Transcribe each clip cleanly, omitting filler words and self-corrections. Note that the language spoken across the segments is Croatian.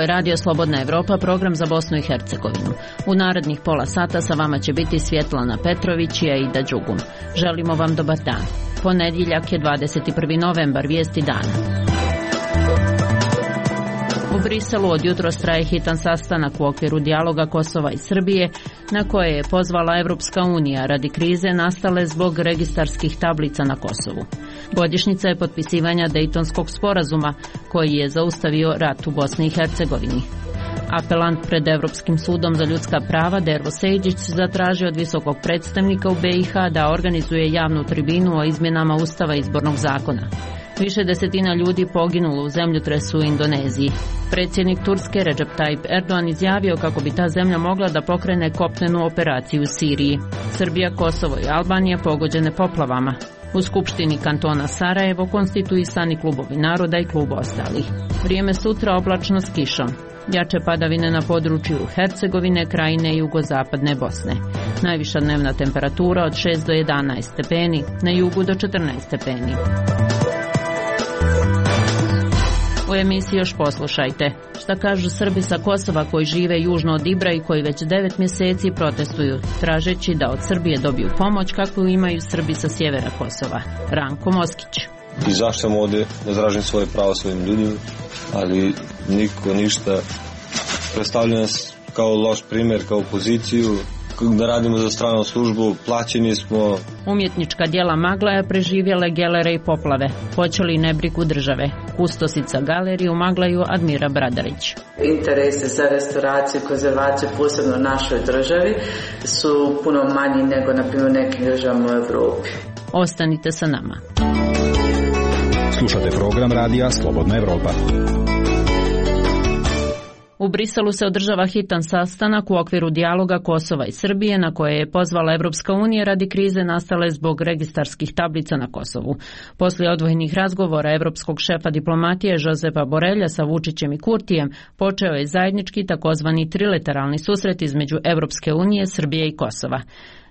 je Radio Slobodna Evropa, program za Bosnu i Hercegovinu. U narednih pola sata sa vama će biti Svjetlana Petrović i Aida Đugum. Želimo vam dobar dan. Ponedjeljak je 21. novembar, vijesti dana. U Briselu od jutros traje hitan sastanak u okviru dijaloga Kosova i Srbije, na koje je pozvala Evropska unija radi krize nastale zbog registarskih tablica na Kosovu. Godišnjica je potpisivanja Dejtonskog sporazuma, koji je zaustavio rat u Bosni i Hercegovini. Apelant pred Evropskim sudom za ljudska prava Dervo Sejdić zatražio od visokog predstavnika u BiH da organizuje javnu tribinu o izmjenama Ustava i izbornog zakona. Više desetina ljudi poginulo u zemljotresu u Indoneziji. Predsjednik Turske Recep Tayyip Erdogan izjavio kako bi ta zemlja mogla da pokrene kopnenu operaciju u Siriji. Srbija, Kosovo i Albanija pogođene poplavama. U Skupštini kantona Sarajevo konstituisani klubovi naroda i klub ostalih. Vrijeme sutra oblačno s kišom. Jače padavine na području Hercegovine, Krajine i jugozapadne Bosne. Najviša dnevna temperatura od 6 do 11 stepeni, na jugu do 14 stepeni. U emisiji još poslušajte šta kažu Srbi sa Kosova koji žive južno od Ibra i koji već 9 mjeseci protestuju, tražeći da od Srbije dobiju pomoć kakvu imaju Srbi sa sjevera Kosova. Ranko Moskić. Izašao sam ovdje da izražim svoje pravo svojim ljudima, ali niko ništa. Predstavlja nas kao loš primjer, kao poziciju, da radimo za stranu službu, plaćeni smo. Umjetnička djela Maglaja preživjele gelere i poplave, počeli nebrigu države. Kustosica galerije u Maglaju Admira Bradarić. Interese za restauraciju i konzervaciju, posebno u našoj državi, su puno manji nego na primjer nekim državama u Europi. Ostanite sa nama. Slušate program radija Slobodna Evropa. U Briselu se održava hitan sastanak u okviru dijaloga Kosova i Srbije na koje je pozvala Evropska unija radi krize nastale zbog registarskih tablica na Kosovu. Poslije odvojenih razgovora evropskog šefa diplomatije Josepa Borelja sa Vučićem i Kurtijem počeo je zajednički takozvani trilateralni susret između Evropske unije, Srbije i Kosova.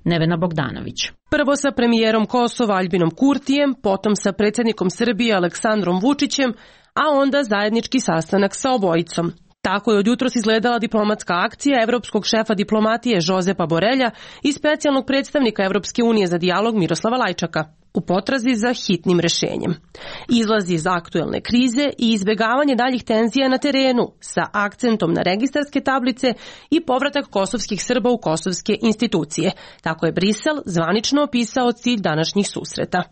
Nevena Bogdanović. Prvo sa premijerom Kosova Aljbinom Kurtijem, potom sa predsjednikom Srbije Aleksandrom Vučićem, a onda zajednički sastanak sa obojicom. Tako je od jutros izgledala diplomatska akcija evropskog šefa diplomatije Josepa Borelja i specijalnog predstavnika Evropske unije za dijalog Miroslava Lajčaka u potrazi za hitnim rješenjem. Izlazi iz aktuelne krize i izbjegavanje daljih tenzija na terenu sa akcentom na registarske tablice i povratak kosovskih Srba u kosovske institucije. Tako je Brisel zvanično opisao cilj današnjih susreta.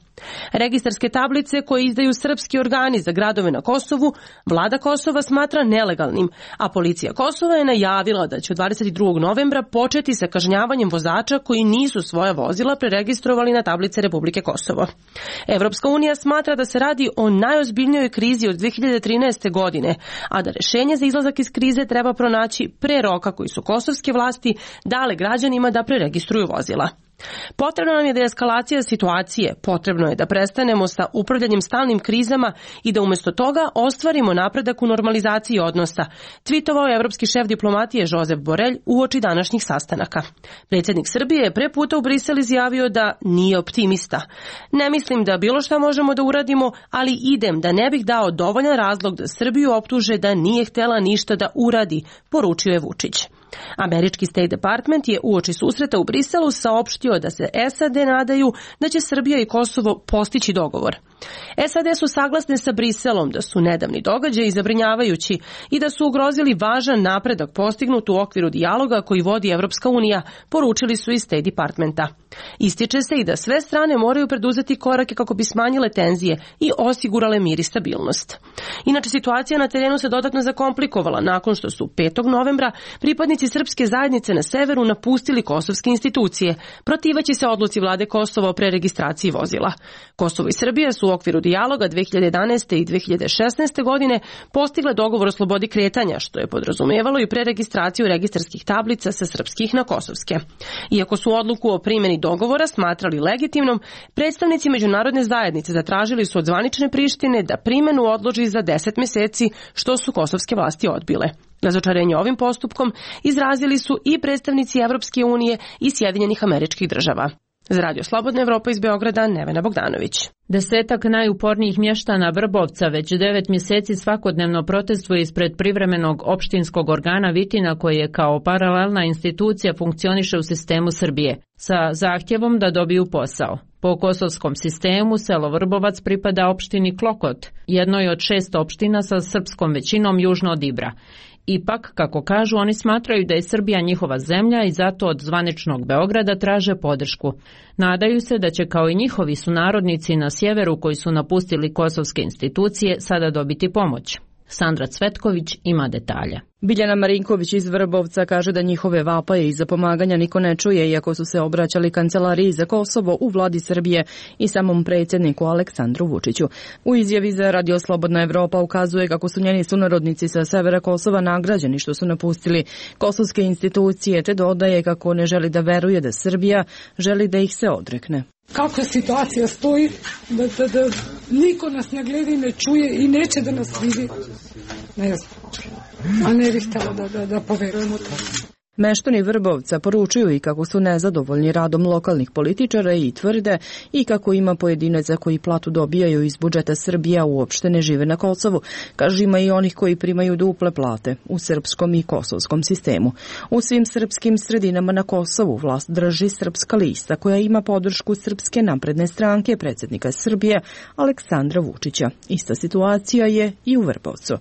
Registarske tablice koje izdaju srpski organi za gradove na Kosovu, vlada Kosova smatra nelegalnim, a policija Kosova je najavila da će od 22. novembra početi sa kažnjavanjem vozača koji nisu svoja vozila preregistrovali na tablice Republike Kosovo. Evropska unija smatra da se radi o najozbiljnijoj krizi od 2013. godine, a da rješenje za izlazak iz krize treba pronaći pre roka koji su kosovske vlasti dale građanima da preregistruju vozila. Potrebno nam je deeskalacija situacije, potrebno je da prestanemo sa upravljanjem stalnim krizama i da umjesto toga ostvarimo napredak u normalizaciji odnosa, tvitovao je evropski šef diplomatije Josep Borelj uoči današnjih sastanaka. Predsjednik Srbije je pre puta u Brisel izjavio da nije optimista. Ne mislim da bilo šta možemo da uradimo, ali idem da ne bih dao dovoljan razlog da Srbiju optuže da nije htjela ništa da uradi, poručio je Vučić. Američki State Department je uoči susreta u Briselu saopštio da se SAD nadaju da će Srbija i Kosovo postići dogovor. SAD su saglasne sa Briselom da su nedavni događaji zabrinjavajući i da su ugrozili važan napredak postignut u okviru dijaloga koji vodi Evropska unija, poručili su iz State Departmenta. Ističe se i da sve strane moraju preduzeti korake kako bi smanjile tenzije i osigurale mir i stabilnost. Inače, situacija na terenu se dodatno zakomplikovala nakon što su 5. novembra pripadnici srpske zajednice na severu napustili kosovske institucije, protiveći se odluci vlade Kosova o preregistraciji vozila. Kosovo i Srbija su u okviru dijaloga 2011. i 2016. godine postigle dogovor o slobodi kretanja, što je podrazumijevalo i preregistraciju registarskih tablica sa srpskih na kosovske. Iako su odluku o primjeni dogovora smatrali legitimnom, predstavnici međunarodne zajednice zatražili su od zvanične Prištine da primjenu odloži za 10 mjeseci, što su kosovske vlasti odbile. Razočarenje ovim postupkom izrazili su i predstavnici Evropske unije i Sjedinjenih Američkih Država. Za Radio Slobodna Evropa iz Beograda, Nevena Bogdanović. Desetak najupornijih mještana Vrbovca već 9 mjeseci svakodnevno protestuje ispred privremenog opštinskog organa Vitina, koji je kao paralelna institucija funkcioniše u sistemu Srbije, sa zahtjevom da dobiju posao. Po kosovskom sistemu selo Vrbovac pripada opštini Klokot, jednoj od 6 opština sa srpskom većinom južno od Ibra. Ipak, kako kažu, oni smatraju da je Srbija njihova zemlja i zato od zvaničnog Beograda traže podršku. Nadaju se da će kao i njihovi sunarodnici na sjeveru koji su napustili kosovske institucije sada dobiti pomoć. Sandra Cvetković ima detalje. Biljana Marinković iz Vrbovca kaže da njihove vapaje i za pomaganja niko ne čuje, iako su se obraćali Kancelariji za Kosovo u vladi Srbije i samom predsjedniku Aleksandru Vučiću. U izjavi za Radio Slobodna Evropa ukazuje kako su njeni sunarodnici sa severa Kosova nagrađeni što su napustili kosovske institucije, te dodaje kako ne želi da veruje da Srbija želi da ih se odrekne. Kako situacija stoji, da niko nas ne gleda i ne čuje i neće da nas vidi, ne znam, a ne bih htjela da poverujemo to. Meštani Vrbovca poručuju i kako su nezadovoljni radom lokalnih političara i tvrde i kako ima pojedinaca koji platu dobijaju iz budžeta Srbije, a uopšte ne žive na Kosovu. Kažu, ima i onih koji primaju duple plate u srpskom i kosovskom sistemu. U svim srpskim sredinama na Kosovu vlast drži Srpska lista, koja ima podršku Srpske napredne stranke predsjednika Srbije Aleksandra Vučića. Ista situacija je i u Vrbovcu.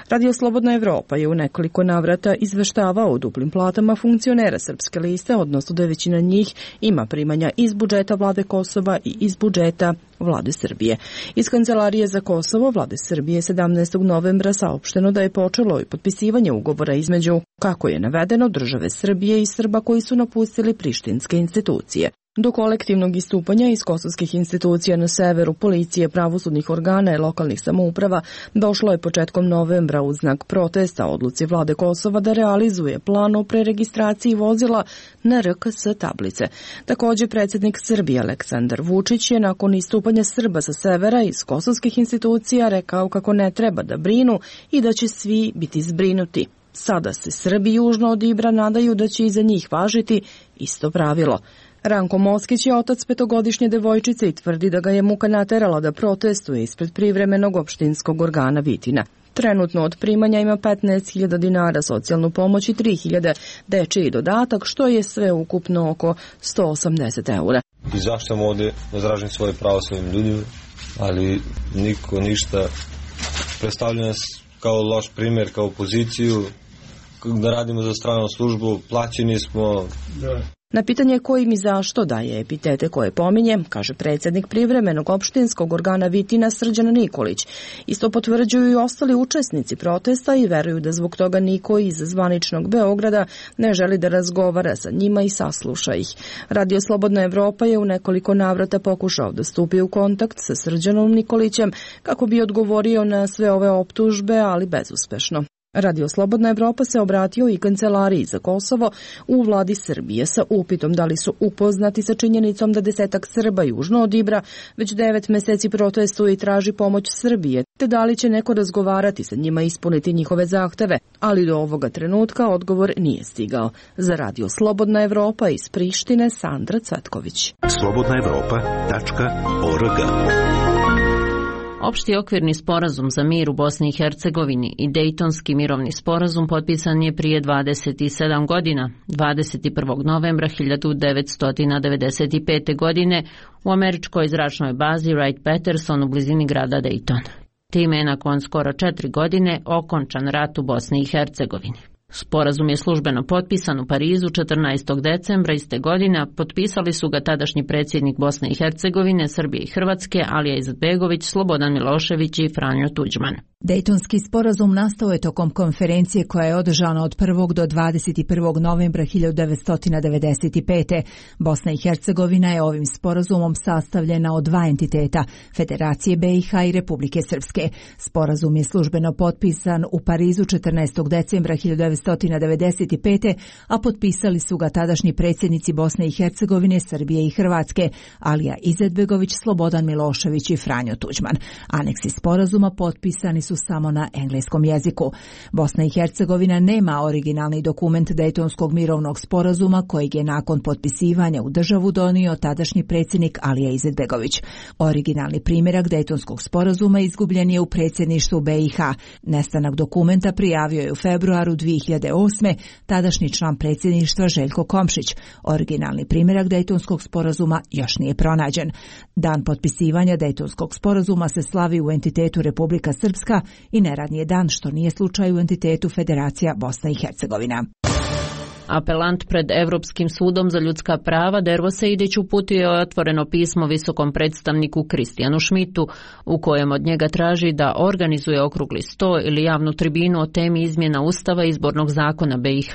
Radio Slobodna Evropa je u nekoliko navrata izveštavao o duplim platama funkcionera Srpske liste, odnosno da većina njih ima primanja iz budžeta vlade Kosova i iz budžeta vlade Srbije. Iz Kancelarije za Kosovo vlade Srbije 17. novembra saopšteno da je počelo i potpisivanje ugovora između, kako je navedeno, države Srbije i Srba koji su napustili prištinske institucije. Do kolektivnog istupanja iz kosovskih institucija na severu, policije, pravosudnih organa i lokalnih samouprava došlo je početkom novembra uz znak protesta odluci vlade Kosova da realizuje plan o preregistraciji vozila na RKS tablice. Također, predsjednik Srbije Aleksandar Vučić je nakon istupanja Srba sa severa iz kosovskih institucija rekao kako ne treba da brinu i da će svi biti zbrinuti. Sada se Srbi južno od Ibra nadaju da će i za njih važiti isto pravilo. Ranko Moskić je otac 5-godišnje devojčice i tvrdi da ga je muka naterala da protestuje ispred privremenog opštinskog organa Vitina. Trenutno od primanja ima 15.000 dinara socijalnu pomoć i 3.000 dečiji dodatak, što je sve ukupno oko 180 eura. Izašao ovdje da izražim svoje pravo svojim ljudima, ali niko ništa. Predstavlja nas kao loš primjer, kao opoziciju, da radimo za stranu službu, plaćeni smo. Na pitanje kojim i zašto daje epitete koje pominje, kaže predsjednik privremenog opštinskog organa Vitina Srđan Nikolić. Isto potvrđuju i ostali učesnici protesta i veruju da zbog toga niko iz zvaničnog Beograda ne želi da razgovara sa njima i sasluša ih. Radio Slobodna Evropa je u nekoliko navrata pokušao da stupi u kontakt sa Srđanom Nikolićem kako bi odgovorio na sve ove optužbe, ali bezuspešno. Radio Slobodna Evropa se obratio i Kancelariji za Kosovo u vladi Srbije sa upitom da li su upoznati sa činjenicom da 10 Srba južno od Ibra već 9 mjeseci protestuje i traži pomoć Srbije, te da li će neko razgovarati sa njima i ispuniti njihove zahteve, ali do ovoga trenutka odgovor nije stigao. Za Radio Slobodna Evropa iz Prištine, Sandra Cvetković. slobodnaevropa.org. Opšti okvirni sporazum za mir u Bosni i Hercegovini i Dejtonski mirovni sporazum potpisan je prije 27 godina, 21. novembra 1995. godine u američkoj zračnoj bazi Wright-Patterson u blizini grada Dejton. Time je nakon skoro 4 godine okončan rat u Bosni i Hercegovini. Sporazum je službeno potpisan u Parizu 14. decembra iste godine, a potpisali su ga tadašnji predsjednik Bosne i Hercegovine, Srbije i Hrvatske, Alija Izetbegović, Slobodan Milošević i Franjo Tuđman. Dejtonski sporazum nastao je tokom konferencije koja je održana od 1. do 21. novembra 1995. Bosna i Hercegovina je ovim sporazumom sastavljena od dva entiteta, Federacije BiH i Republike Srpske. Sporazum je službeno potpisan u Parizu 14. decembra 1995. a potpisali su ga tadašnji predsjednici Bosne i Hercegovine, Srbije i Hrvatske, Alija Izetbegović, Slobodan Milošević i Franjo Tuđman. Aneksi sporazuma potpisani su su samo na engleskom jeziku. Bosna i Hercegovina nema originalni dokument Dejtonskog mirovnog sporazuma kojeg je nakon potpisivanja u državu donio tadašnji predsjednik Alija Izetbegović. Originalni primjerak Dejtonskog sporazuma izgubljen je u predsjedništvu BiH. Nestanak dokumenta prijavio je u februaru 2008. tadašnji član predsjedništva Željko Komšić. Originalni primjerak Dejtonskog sporazuma još nije pronađen. Dan potpisivanja Dejtonskog sporazuma se slavi u entitetu Republika Srpska i neradni je dan, što nije slučaj u entitetu Federacija Bosna i Hercegovina. Apelant pred Europskim sudom za ljudska prava Dervo Sejdić uputio je otvoreno pismo visokom predstavniku Kristijanu Šmitu u kojem od njega traži da organizuje okrugli sto ili javnu tribinu o temi izmjena Ustava i izbornog zakona BiH.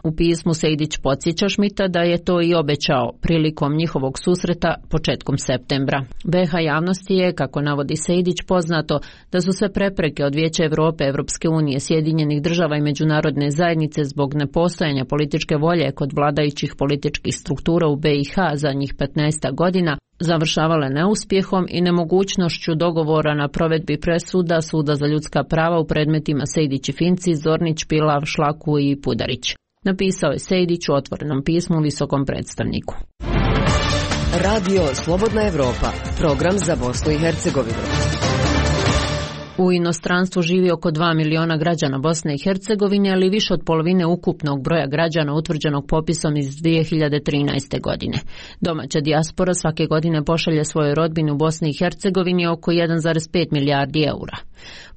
U pismu Sejdić podsjeća Šmita da je to i obećao prilikom njihovog susreta početkom septembra. BiH javnosti je, kako navodi Sejdić, poznato da su sve prepreke od Vijeća Europe, Evropske unije, Sjedinjenih država i međunarodne zajednice zbog nepostojanja političke volje kod vladajućih političkih struktura u BiH zadnjih 15 godina završavale neuspjehom i nemogućnošću dogovora na provedbi presuda Suda za ljudska prava u predmetima Sejdić i Finci, Zornić, Pilav, Šlaku i Pudarić. Napisao je Sejdić u otvorenom pismu visokom predstavniku. Radio Slobodna Evropa, program za Bosnu i Hercegovinu. U inostranstvu živi oko 2 miliona građana Bosne i Hercegovine, ali više od polovine ukupnog broja građana utvrđenog popisom iz 2013. godine. Domaća dijaspora svake godine pošalje svojoj rodbini u Bosni i Hercegovini oko 1,5 milijardi eura.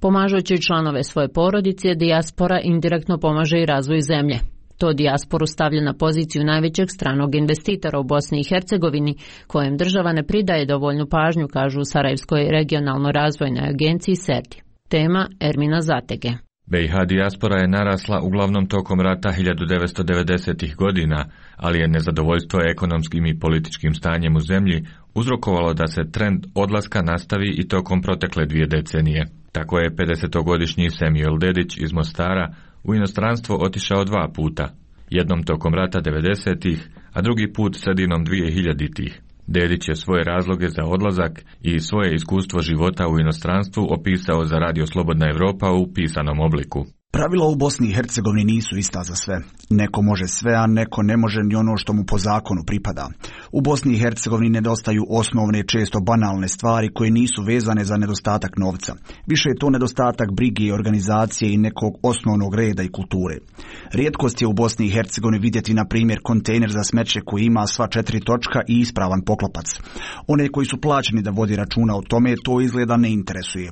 Pomažući članove svoje porodice, dijaspora indirektno pomaže i razvoju zemlje. To dijasporu stavlja na poziciju najvećeg stranog investitora u Bosni i Hercegovini, kojem država ne pridaje dovoljnu pažnju, kažu u Sarajevskoj regionalno razvojnoj agenciji SERDI. Tema Ermina Zatege. BiH dijaspora je narasla uglavnom tokom rata 1990. godina, ali je nezadovoljstvo ekonomskim i političkim stanjem u zemlji uzrokovalo da se trend odlaska nastavi i tokom protekle 2 decenije. Tako je 50-godišnji Samuel Dedić iz Mostara u inostranstvo otišao 2 puta, jednom tokom rata 90-ih, a drugi put sredinom 2000-ih. Dedić je svoje razloge za odlazak i svoje iskustvo života u inostranstvu opisao za Radio Slobodna Evropa u pisanom obliku. Pravila u Bosni i Hercegovini nisu ista za sve. Neko može sve, a neko ne može ni ono što mu po zakonu pripada. U Bosni i Hercegovini nedostaju osnovne, često banalne stvari koje nisu vezane za nedostatak novca. Više je to nedostatak brige i organizacije i nekog osnovnog reda i kulture. Rijetkost je u Bosni i Hercegovini vidjeti, na primjer, kontejner za smeće koji ima sva 4 točka i ispravan poklopac. One koji su plaćeni da vodi računa o tome, to izgleda ne interesuje.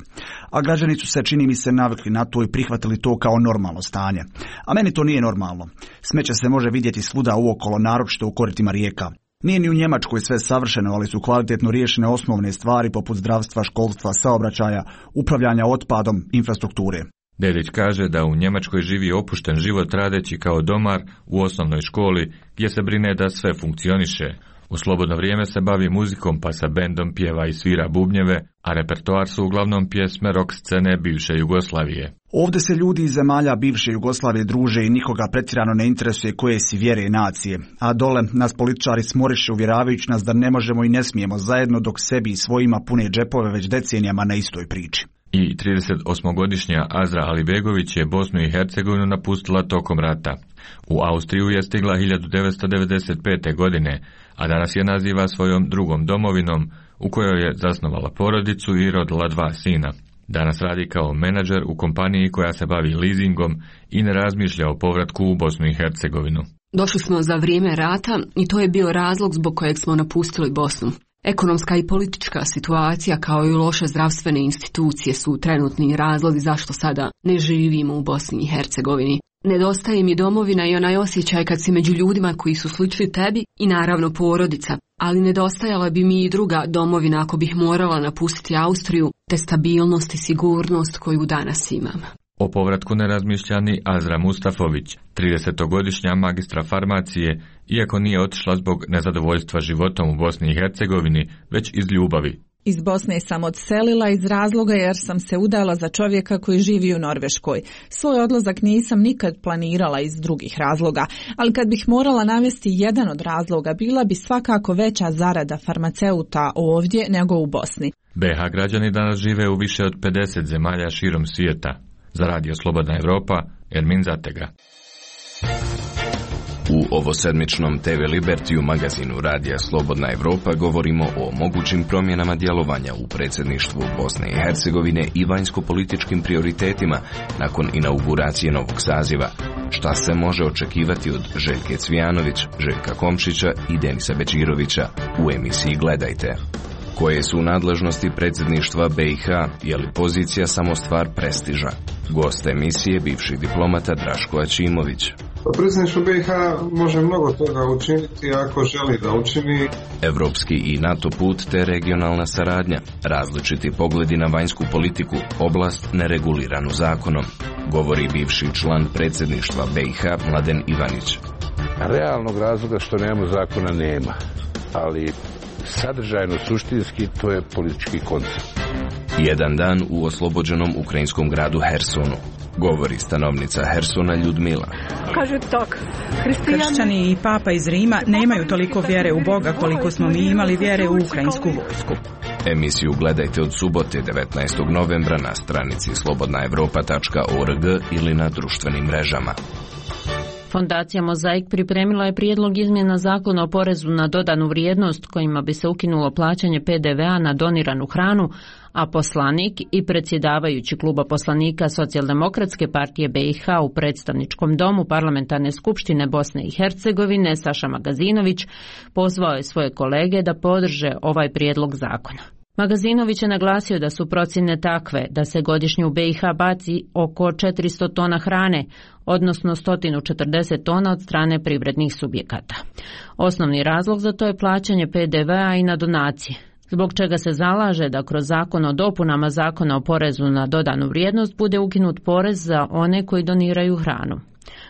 A građani su se, čini mi se, navikli na to i prihvatili to kao normalno stanje. A meni to nije normalno. Smeće se može vidjeti svuda uokolo, naročito u koritima rijeka. Nije ni u Njemačkoj sve savršeno, ali su kvalitetno riješene osnovne stvari poput zdravstva, školstva, saobraćaja, upravljanja otpadom, infrastrukture. Dedić kaže da u Njemačkoj živi opušten život radeći kao domar u osnovnoj školi gdje se brine da sve funkcioniše. U slobodno vrijeme se bavi muzikom pa sa bendom pjeva i svira bubnjeve, a repertoar su uglavnom pjesme rock scene bivše Jugoslavije. Ovdje se ljudi iz zemalja bivše Jugoslavije druže i nikoga pretjerano ne interesuje koje si vjere i nacije. A dole nas političari smoriše uvjeravajući nas da ne možemo i ne smijemo zajedno dok sebi i svojima pune džepove već decenijama na istoj priči. I 38-godišnja Azra Alibegović je Bosnu i Hercegovinu napustila tokom rata. U Austriju je stigla 1995. godine, a danas je naziva svojom drugom domovinom, u kojoj je zasnovala porodicu i rodila 2 sina. Danas radi kao menadžer u kompaniji koja se bavi leasingom i ne razmišlja o povratku u Bosnu i Hercegovinu. Došli smo za vrijeme rata i to je bio razlog zbog kojeg smo napustili Bosnu. Ekonomska i politička situacija kao i loše zdravstvene institucije su trenutni razlozi zašto sada ne živimo u Bosni i Hercegovini. Nedostaje mi domovina i onaj osjećaj kad si među ljudima koji su slični tebi i naravno porodica, ali nedostajala bi mi i druga domovina ako bih morala napustiti Austriju, te stabilnost i sigurnost koju danas imam. O povratku ne razmišlja ni Azra Mustafović, 30-godišnja magistra farmacije, iako nije otišla zbog nezadovoljstva životom u Bosni i Hercegovini, već iz ljubavi. Iz Bosne sam odselila iz razloga jer sam se udala za čovjeka koji živi u Norveškoj. Svoj odlazak nisam nikad planirala iz drugih razloga, ali kad bih morala navesti jedan od razloga, bila bi svakako veća zarada farmaceuta ovdje nego u Bosni. BiH građani danas žive u više od 50 zemalja širom svijeta. Za Radio Slobodna Evropa, Ermin Zatega. U ovosedmičnom TV Libertiju magazinu Radija Slobodna Evropa govorimo o mogućim promjenama djelovanja u predsjedništvu Bosne i Hercegovine i vanjsko-političkim prioritetima nakon inauguracije novog saziva. Šta se može očekivati od Željke Cvijanović, Željka Komšića i Denisa Bečirovića u emisiji Gledajte. Koje su nadležnosti predsjedništva BiH, je li pozicija samo stvar prestiža? Gost emisije, bivši diplomata Draško Ačimović. Predsjedništvo BiH može mnogo toga učiniti ako želi da učini. Evropski i NATO put te regionalna saradnja, različiti pogledi na vanjsku politiku, oblast nereguliranu zakonom, govori bivši član predsjedništva BiH Mladen Ivanić. Realnog razloga što nemamo zakona nema, ali sadržajno, suštinski, to je politički koncept. Jedan dan u oslobođenom ukrajinskom gradu Hersonu, govori stanovnica Hersona Ljudmila. Kaže tak, kršćani i papa iz Rima nemaju toliko vjere u Boga koliko smo mi imali vjere u ukrajinsku vojsku. Emisiju gledajte od subote 19. novembra na stranici slobodnaevropa.org ili na društvenim mrežama. Fondacija Mozaik pripremila je prijedlog izmjena zakona o porezu na dodanu vrijednost kojima bi se ukinulo plaćanje PDV-a na doniranu hranu, a poslanik i predsjedavajući kluba poslanika Socijaldemokratske partije BiH u predstavničkom domu Parlamentarne skupštine Bosne i Hercegovine Saša Magazinović pozvao je svoje kolege da podrže ovaj prijedlog zakona. Magazinović je naglasio da su procjene takve da se godišnje u BiH baci oko 400 tona hrane, odnosno 140 tona od strane privrednih subjekata. Osnovni razlog za to je plaćanje PDV-a i na donacije, zbog čega se zalaže da kroz zakon o dopunama zakona o porezu na dodanu vrijednost bude ukinut porez za one koji doniraju hranu.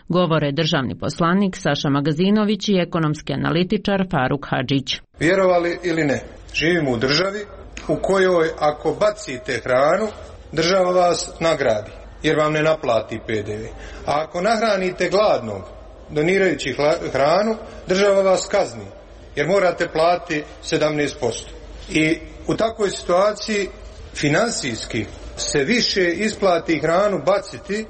Govore državni poslanik Saša Magazinović i ekonomski analitičar Faruk Hadžić. Vjerovali ili ne, živimo u državi u kojoj ako bacite hranu, država vas nagradi, jer vam ne naplati PDV. A ako nahranite gladnog, donirajući hranu, država vas kazni, jer morate platiti 17%. I u takvoj situaciji finansijski se više isplati hranu baciti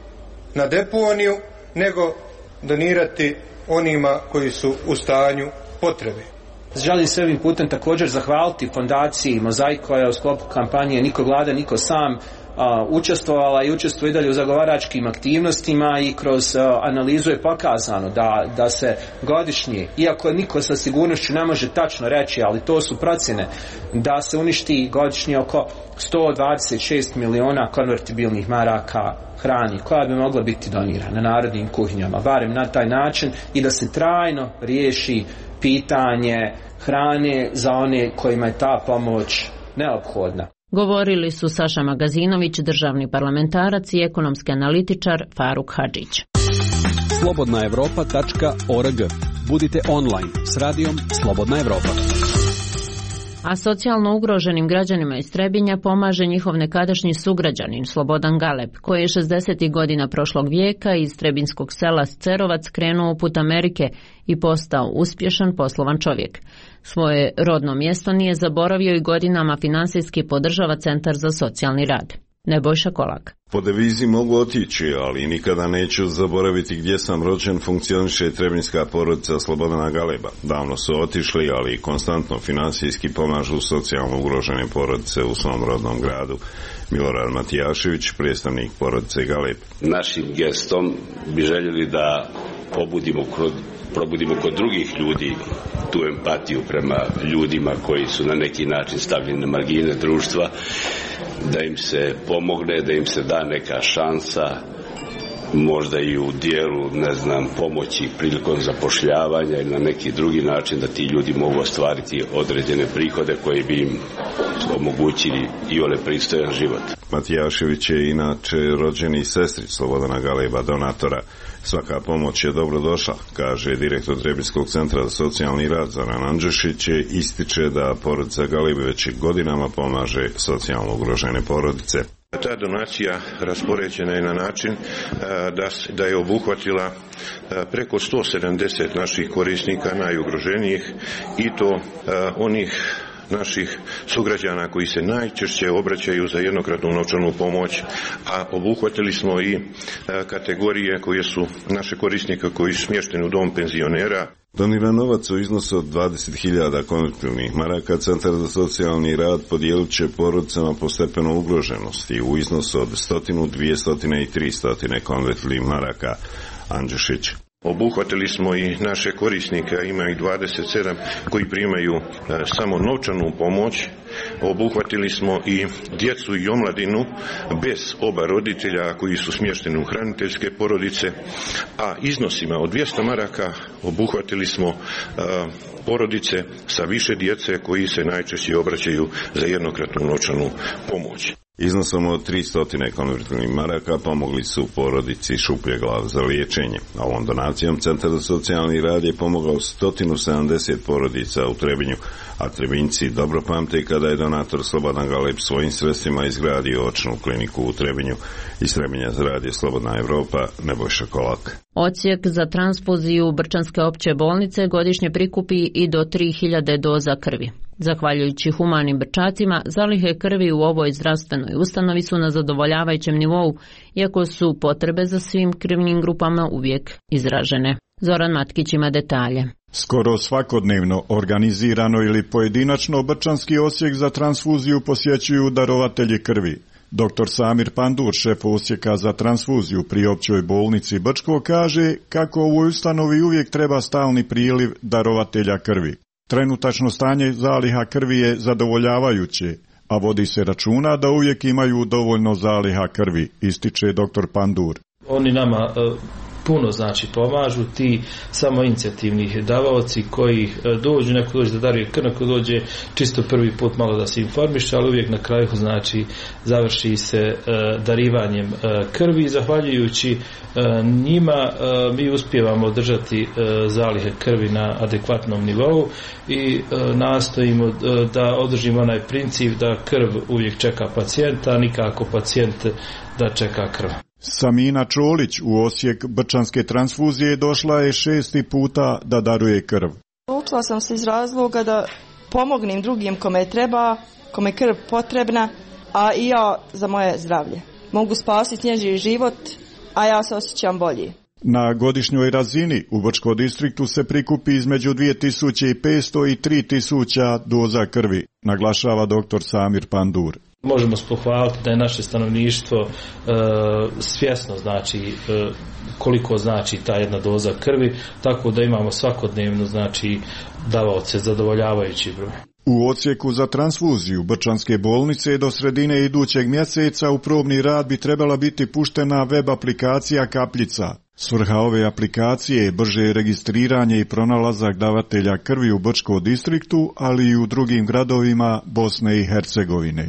na deponiju, nego donirati onima koji su u stanju potrebe. Želim se ovim putem također zahvaliti fondaciji Mozaik koja je u sklopu kampanje Niko gladan, niko sam učestvovala i učestvuje i dalje u zagovaračkim aktivnostima i kroz analizu je pokazano da se godišnje, iako niko sa sigurnošću ne može tačno reći, ali to su procjene, da se uništi godišnje oko 126 miliona konvertibilnih maraka hrani koja bi mogla biti donirana narodnim kuhinjama, barem na taj način, i da se trajno riješi pitanje hrane za one kojima je ta pomoć neophodna. Govorili su Saša Magazinović, državni parlamentarac i ekonomski analitičar Faruk Hadžić. Slobodnaevropa.org. Budite online s radijom Slobodna Evropa. A socijalno ugroženim građanima iz Trebinja pomaže njihov nekadašnji sugrađanin Slobodan Galeb, koji je 60. godina prošlog vijeka iz trebinskog sela Cerovac krenuo u put Amerike i postao uspješan poslovan čovjek. Svoje rodno mjesto nije zaboravio i godinama finansijski podržava Centar za socijalni rad. Nebojša Kolak. Po devizi mogu otići, ali nikada neću zaboraviti gdje sam rođen, funkcioniše i trebinjska porodica Slobodana Galeba. Davno su otišli, ali konstantno finansijski pomažu socijalno ugrožene porodice u svom rodnom gradu. Milorad Matijašević, predstavnik porodice Galeb. Našim gestom bi željeli da probudimo kod drugih ljudi tu empatiju prema ljudima koji su na neki način stavljeni na margine društva, da im se pomogne, da im se da neka šansa, možda i u dijelu, pomoći prilikom zapošljavanja ili na neki drugi način da ti ljudi mogu ostvariti određene prihode koji bi im omogućili i ole pristojan život. Matijašević je inače rođeni sestrić Slobodana Galeba, donatora. Svaka pomoć je dobro došla, kaže direktor Trebinjskog centra za socijalni rad Zoran Andžešić, ističe da porodica Galeb već godinama pomaže socijalno ugrožene porodice. Ta donacija raspoređena je na način da je obuhvatila preko 170 naših korisnika najugroženijih, i to onih naših sugrađana koji se najčešće obraćaju za jednokratnu novčanu pomoć, a obuhvatili smo i kategorije koje su naše korisnike koji su smješteni u dom penzionera. Doniran novac u iznosu od 20.000 konvertibilnih maraka Centar za socijalni rad podijelit će porodicama po stepenu ugroženosti u iznosu od 100, 200 i 300 konvertibilnih maraka. Andžušić. Obuhvatili smo i naše korisnike, ima ih 27 koji primaju samo novčanu pomoć. Obuhvatili smo i djecu i omladinu bez oba roditelja koji su smješteni u hraniteljske porodice, a iznosima od 200 maraka obuhvatili smo porodice sa više djece koji se najčešće obraćaju za jednokratnu novčanu pomoć. Iznosom od 300 konvertibilnih maraka pomogli su porodici Šupljeglav za liječenje, a ovom donacijom Centar za socijalni rad je pomogao 170 porodica u Trebinju, a Trebinjci dobro pamte kada je donator Slobodan Galeb svojim sredstvima izgradio očnu kliniku u Trebinju. Iz Trebinja za Radio Slobodna Evropa, Nebojša Kolak. Odsjek za transfuziju Brčanske opće bolnice godišnje prikupi i do 3000 doza krvi. Zahvaljujući humanim Brčacima, zalihe krvi u ovoj zdravstvenoj ustanovi su na zadovoljavajućem nivou, iako su potrebe za svim krvnim grupama uvijek izražene. Zoran Matkić ima detalje. Skoro svakodnevno, organizirano ili pojedinačno, Brčanski odsjek za transfuziju posjećuju darovatelji krvi. Dr. Samir Pandur, šef odsjeka za transfuziju pri općoj bolnici Brčko, kaže kako u ovoj ustanovi uvijek treba stalni priliv darovatelja krvi. Trenutačno stanje zaliha krvi je zadovoljavajuće, a vodi se računa da uvijek imaju dovoljno zaliha krvi, ističe dr. Pandur. Oni nama puno pomažu, ti samoinicijativni davaoci koji dođu, neko dođe da daruje krv, neko dođe čisto prvi put malo da se informiše, ali uvijek na kraju završi se darivanjem krvi. Zahvaljujući njima mi uspijevamo održati zalihe krvi na adekvatnom nivou i nastojimo da održimo onaj princip da krv uvijek čeka pacijenta, a nikako pacijent da čeka krv. Samina Čolić u Osijek Brčanske transfuzije došla je 6. puta da daruje krv. Učila sam se iz razloga da pomognem drugim kome treba, kome krv potrebna, a i ja za moje zdravlje. Mogu spasiti njeđi život, a ja se osjećam bolje. Na godišnjoj razini u Brčkom distriktu se prikupi između 2500 i 3000 doza krvi, naglašava dr. Samir Pandur. Možemo pohvaliti da je naše stanovništvo svjesno koliko znači ta jedna doza krvi, tako da imamo svakodnevno davaoce zadovoljavajući broj. U odsjeku za transfuziju Brčanske bolnice do sredine idućeg mjeseca u probni rad bi trebala biti puštena web aplikacija Kapljica. Svrha ove aplikacije je brže registriranje i pronalazak davatelja krvi u Brčkom distriktu, ali i u drugim gradovima Bosne i Hercegovine.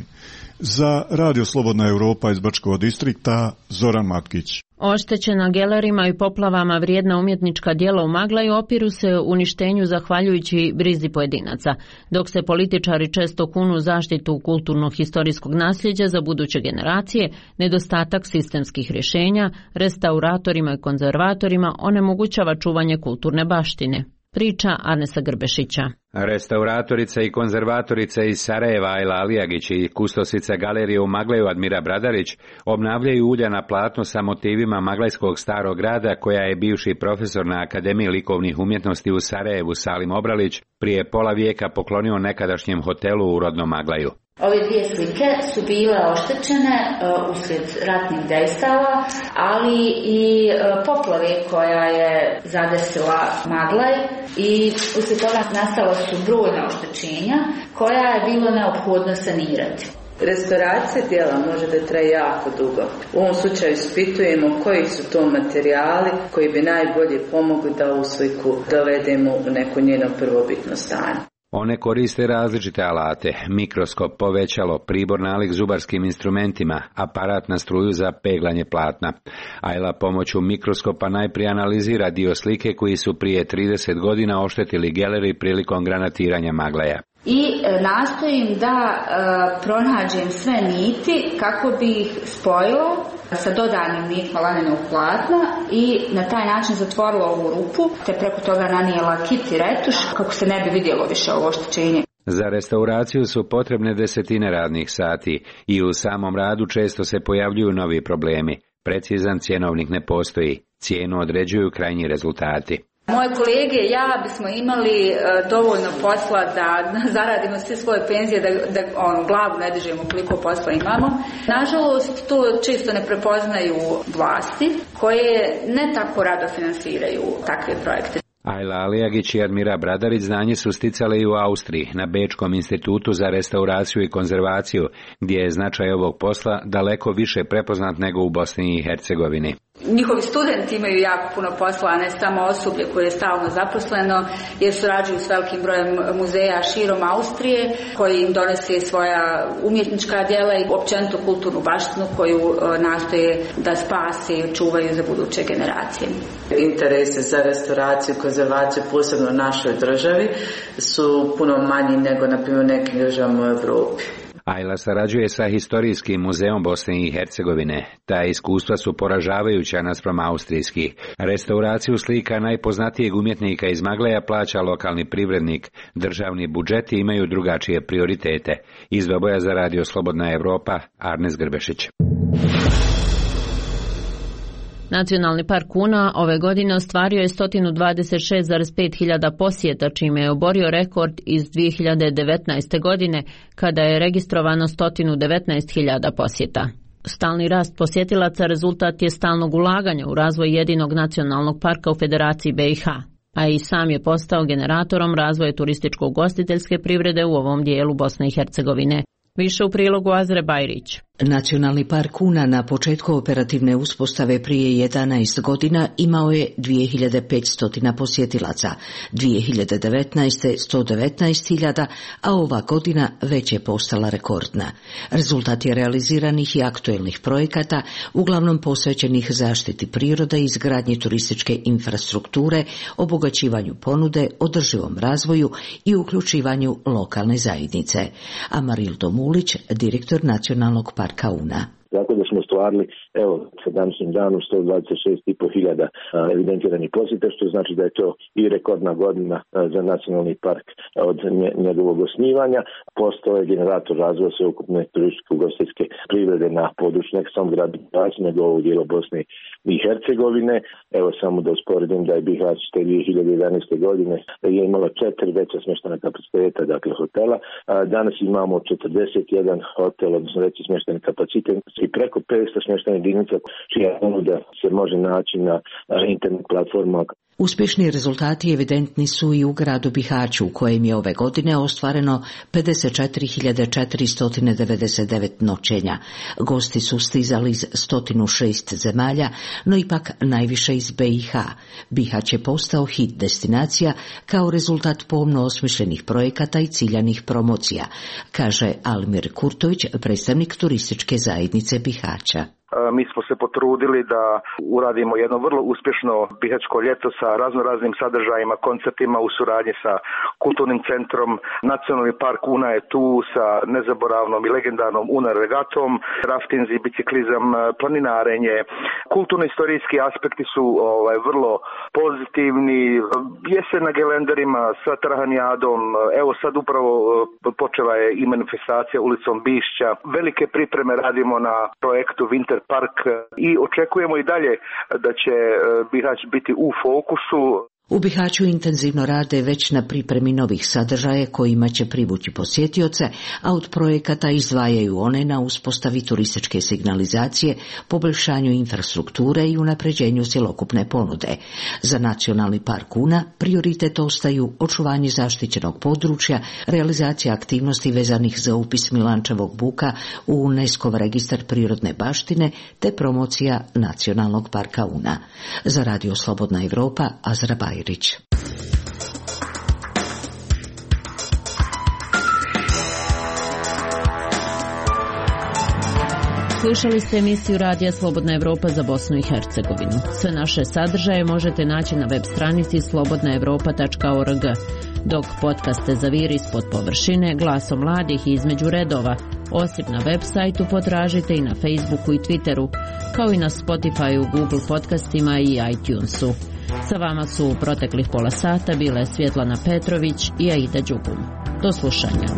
Za Radio Slobodna Evropa iz Brčkog distrikta, Zoran Matkić. Oštećena gelerima i poplavama vrijedna umjetnička djela u Maglaju opiru se uništenju zahvaljujući brizi pojedinaca, dok se političari često kunu zaštitu kulturno-historijskog nasljeđa za buduće generacije, nedostatak sistemskih rješenja, restauratorima i konzervatorima onemogućava čuvanje kulturne baštine. Priča Arnesa Grbešića. Restauratorica i konzervatorica iz Sarajeva Ajla Alijagić i kustosica galerije u Maglaju Admira Bradarić obnavljaju ulja na platnu sa motivima maglajskog starog grada koja je bivši profesor na Akademiji likovnih umjetnosti u Sarajevu Salim Obralić prije pola vijeka poklonio nekadašnjem hotelu u rodnom Maglaju. Ove dvije slike su bile oštećene uslijed ratnih dejstava, ali i poplave koja je zadesila Maglaj i uslijed toga nastala su brojna oštećenja koja je bilo neophodno sanirati. Restauracija djela može da traje jako dugo. U ovom slučaju ispitujemo koji su to materijali koji bi najbolje pomogli da ovu sliku dovedemo u neko njeno prvobitno stanje. One koriste različite alate, mikroskop, povećalo, pribor nalik zubarskim instrumentima, aparat na struju za peglanje platna. Ajla pomoću mikroskopa najprije analizira dio slike koji su prije 30 godina oštetili geleri prilikom granatiranja Maglaja. I nastojim da pronađem sve niti kako bi ih spojila sa dodanim nitima lanenog platna i na taj način zatvorila ovu rupu, te preko toga nanijela kit i retuš kako se ne bi vidjelo više ovo oštećenje. Za restauraciju su potrebne desetine radnih sati i u samom radu često se pojavljuju novi problemi. Precizan cjenovnik ne postoji. Cijenu određuju krajnji rezultati. Moje kolege i ja bismo imali dovoljno posla da zaradimo sve svoje penzije, da glavu ne dižemo koliko posla imamo. Nažalost, to često ne prepoznaju vlasti koje ne tako rado finansiraju takve projekte. Ajla Alijagić i Admira Bradarić znanje su sticale i u Austriji, na Bečkom institutu za restauraciju i konzervaciju, gdje je značaj ovog posla daleko više prepoznat nego u Bosni i Hercegovini. Njihovi studenti imaju jako puno posla, a ne samo osoblje koje je stalno zaposleno, jer surađuju s velikim brojem muzeja širom Austrije, koji im donose svoja umjetnička djela i općenito kulturnu baštinu koju nastoje da spase i očuvaju za buduće generacije. Interese za restauraciju i konzervaciju, posebno u našoj državi, su puno manji nego, na primjer, u nekim državama u Europi. Ajla sarađuje sa Historijskim muzeom Bosne i Hercegovine. Ta iskustva su poražavajuća naspram austrijskih. Restauraciju slika najpoznatijeg umjetnika iz Magleja plaća lokalni privrednik. Državni budžeti imaju drugačije prioritete. Iz Doboja za Radio Slobodna Evropa, Arnes Grbešić. Nacionalni park Una ove godine ostvario je 126,5 hiljada posjeta, čime je oborio rekord iz 2019. godine, kada je registrovano 119 hiljada posjeta. Stalni rast posjetilaca rezultat je stalnog ulaganja u razvoj jedinog nacionalnog parka u Federaciji BiH, a i sam je postao generatorom razvoja turističko-ugostiteljske privrede u ovom dijelu Bosne i Hercegovine. Više u prilogu Azre Bajrić. Nacionalni park Una na početku operativne uspostave prije 11 godina imao je 2500 posjetilaca, 2019. 119.000, a ova godina već je postala rekordna. Rezultat je realiziranih i aktuelnih projekata, uglavnom posvećenih zaštiti prirode, izgradnji turističke infrastrukture, obogaćivanju ponude, održivom razvoju i uključivanju lokalne zajednice. Amarildo Mulić, direktor Nacionalnog parka Una. Tako da smo ostvarili, evo, sa današnjim danom 126.500 evidentiranih posjeta, što znači da je to i rekordna godina za nacionalni park od njegovog osnivanja. Postao je generator razvoja sveukupne turističko-ugostiteljske privrede na području ne samo grada Bihać, nego ovog dijela Bosne i Hercegovine. Evo samo da usporedim da je Bihać te 2011. godine je imala 4 veća smještajna kapaciteta, dakle hotela. Danas imamo 41 hotel, odnosno veći smještajni kapacitet i preko 500 smještajnih jedinica čija ponuda se može naći na internet platformama. Uspješni rezultati evidentni su i u gradu Bihaću, u kojem je ove godine ostvareno 54.499 noćenja. Gosti su stizali iz 106 zemalja, no ipak najviše iz BiH. Bihać je postao hit destinacija kao rezultat pomno osmišljenih projekata i ciljanih promocija, kaže Almir Kurtović, predstavnik turističke zajednice Bihaća. Mi smo se potrudili da uradimo jedno vrlo uspješno bihaćko ljeto sa raznoraznim sadržajima, koncertima u suradnji sa kulturnim centrom. Nacionalni park Una je tu sa nezaboravnom i legendarnom Una regatom, raftinzi, biciklizam, planinarenje. Kulturno-istorijski aspekti su vrlo pozitivni. Jesen na gelenderima sa Trahanijadom, evo sad upravo počela je i manifestacija ulicom Bišća. Velike pripreme radimo na projektu Winter Park i očekujemo i dalje da će Bihać biti u fokusu. U Bihaću intenzivno rade već na pripremi novih sadržaja kojima će privući posjetioce, a od projekata izdvajaju one na uspostavi turističke signalizacije, poboljšanju infrastrukture i unapređenju cjelokupne ponude. Za Nacionalni park Una prioritet ostaju očuvanje zaštićenog područja, realizacija aktivnosti vezanih za upis Milančevog buka u UNESCO-v registar prirodne baštine te promocija Nacionalnog parka Una. Za Radio Slobodna Evropa, Azra Bajrić. Slušali ste emisiju Radija Slobodna Evropa za Bosnu i Hercegovinu. Sve naše sadržaje možete naći na web stranici slobodnaevropa.org. Dok podcaste zaviri ispod površine, glasom mladih i između redova, osim na web sajtu potražite i na Facebooku i Twitteru, kao i na Spotifyu, Google podcastima i iTunesu. Sa vama su u proteklih pola sata bile Svjetlana Petrović i Aida Đugum. Do slušanja.